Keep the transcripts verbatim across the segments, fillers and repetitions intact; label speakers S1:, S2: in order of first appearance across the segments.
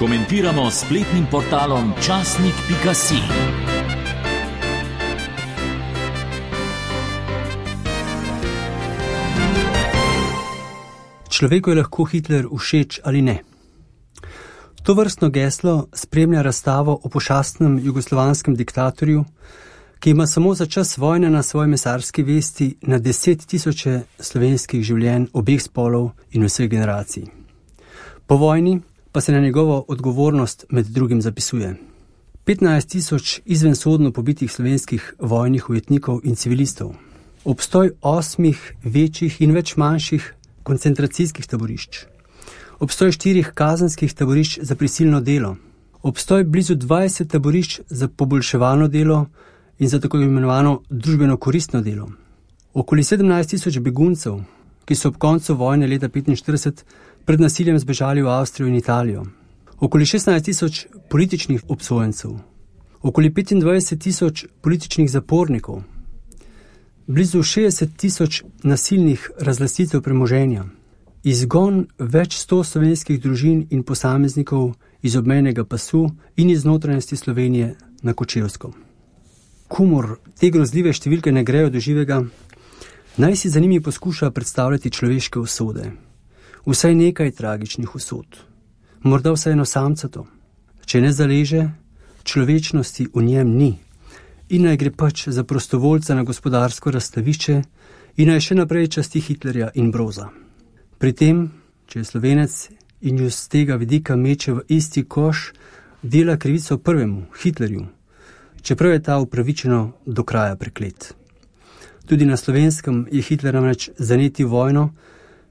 S1: komentiramo s spletnim portalom časnik pika si.
S2: Človeku je lahko Hitler všeč ali ne. To vrstno geslo spremlja razstavo o pošastnem jugoslovanskem diktatorju, ki ima samo za čas vojne na svoji mesarski vesti na deset tisoče slovenskih življenj obeh spolov in vseh generacij. Po vojni pa se na njegovo odgovornost med drugim zapisuje petnajst tisoč izvensodno pobitih slovenskih vojnih ujetnikov in civilistov, obstoj osmih večjih in več manjših koncentracijskih taborišč, obstoj štirih kazenskih taborišč za prisilno delo, obstoj blizu dvajset taborišč za poboljševalno delo in za tako imenovano družbeno koristno delo, okoli sedemnajst tisoč beguncev, ki so ob koncu vojne leta petinštirideset pred nasiljem zbežali v Avstrijo in Italijo, okoli šestnajst tisoč političnih obsojencev, okoli petindvajset tisoč političnih zapornikov, blizu šestdeset tisoč nasilnih razlastitev premoženja, izgon več sto slovenskih družin in posameznikov iz obmejnega pasu in iz notranjosti Slovenije na Kočevsko. Komur te grozljive številke ne grejo do živega, naj si za njimi poskuša predstavljati človeške usode, vsaj nekaj tragičnih usod, morda vsaj eno samcato. Če ne zaleže, človečnosti v njem ni in naj gre pač za prostovoljca na gospodarsko razstavišče in naj še naprej časti Hitlerja in Broza. Pri tem, če je Slovenec in ju z tega vidika meče v isti koš, dela krivico prvemu, Hitlerju, čeprav je ta upravičeno do kraja preklet. Tudi na Slovenskem je Hitler namreč zanetil vojno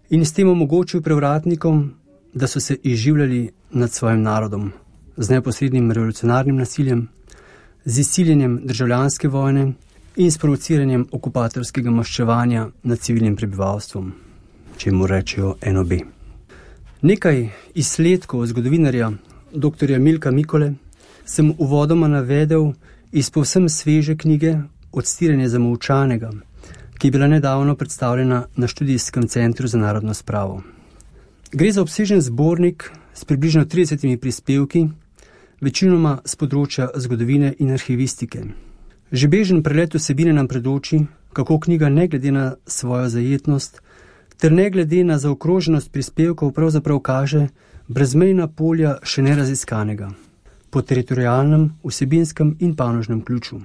S2: in s tem omogočil prevratnikom, da so se izživljali nad svojim narodom z neposrednim revolucionarnim nasiljem, z izsiljenjem državljanske vojne in s provociranjem okupatorskega maščevanja nad civilnim prebivalstvom, čemu rečejo en o be. Nekaj izsledkov zgodovinarja doktorja Milka Mikole sem uvodoma navedel iz povsem sveže knjige Odstiranje zamolčanega, ki je bila nedavno predstavljena na Študijskem centru za narodno spravo. Gre za obsežen zbornik s približno tridesetimi prispevki, večinoma z področja zgodovine in arhivistike. Že bežen prelet vsebine nam predoči, kako knjiga ne glede na svojo zajetnost ter ne glede na zaokroženost prispevkov pravzaprav kaže brezmejna polja še neraziskanega, po teritorialnem, vsebinskem in panožnem ključu.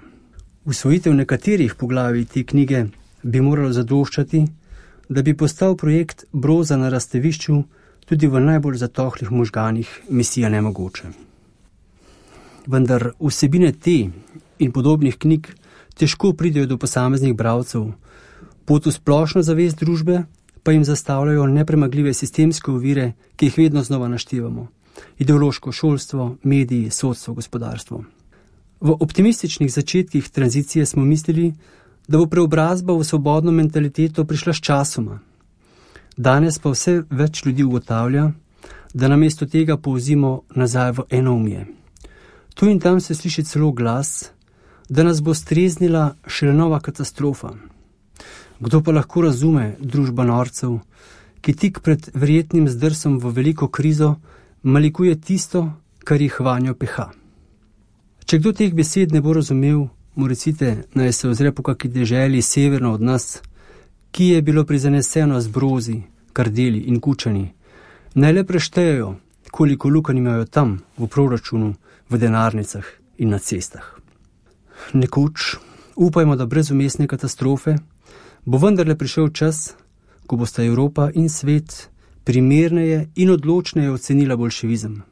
S2: Usvojitev nekaterih poglavij te knjige bi moralo zadoščati, da bi postal projekt Broza na razstavišču tudi v najbolj zatohlih možganih misija nemogoče. Vendar vsebine te in podobnih knjig težko pridejo do posameznih bralcev, pot v splošno zavest družbe pa jim zastavljajo nepremagljive sistemske ovire, ki jih vedno znova naštevamo. Ideološko šolstvo, mediji, sodstvo, gospodarstvo. V optimističnih začetkih tranzicije smo mislili, da bo preobrazba v svobodno mentaliteto prišla s časoma. Danes pa vse več ljudi ugotavlja, da namesto tega povzimo nazaj v enoumje. Tu in tam se sliši celo glas, da nas bo streznila šele nova katastrofa. Kdo pa lahko razume družba norcev, ki tik pred verjetnim zdrsom v veliko krizo malikuje tisto, kar jih vanjo peha. Če kdo teh besed ne bo razumel, mu recite, naj se ozre po kaki deželi severno od nas, ki je bilo prizaneseno z brozi, kardeli in kučani. Naj le preštejejo, koliko lukanj imajo tam v proračunu, v denarnicah in na cestah. Nekoč, upajmo, da brez vmesne katastrofe, bo vendarle prišel čas, ko bosta Evropa in svet primerneje in odločneje ocenila boljševizem.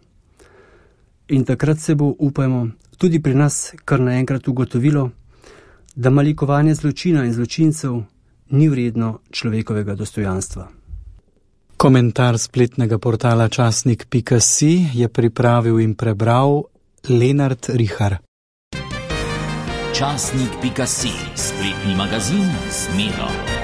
S2: In takrat se bo, upajmo, tudi pri nas kar naenkrat ugotovilo, da malikovanje zločina in zločincev ni vredno človekovega dostojanstva.
S3: Komentar spletnega portala časnik pika si je pripravil in prebral Lenart Rihar.
S1: časnik pika si, spletni magazin z Miro.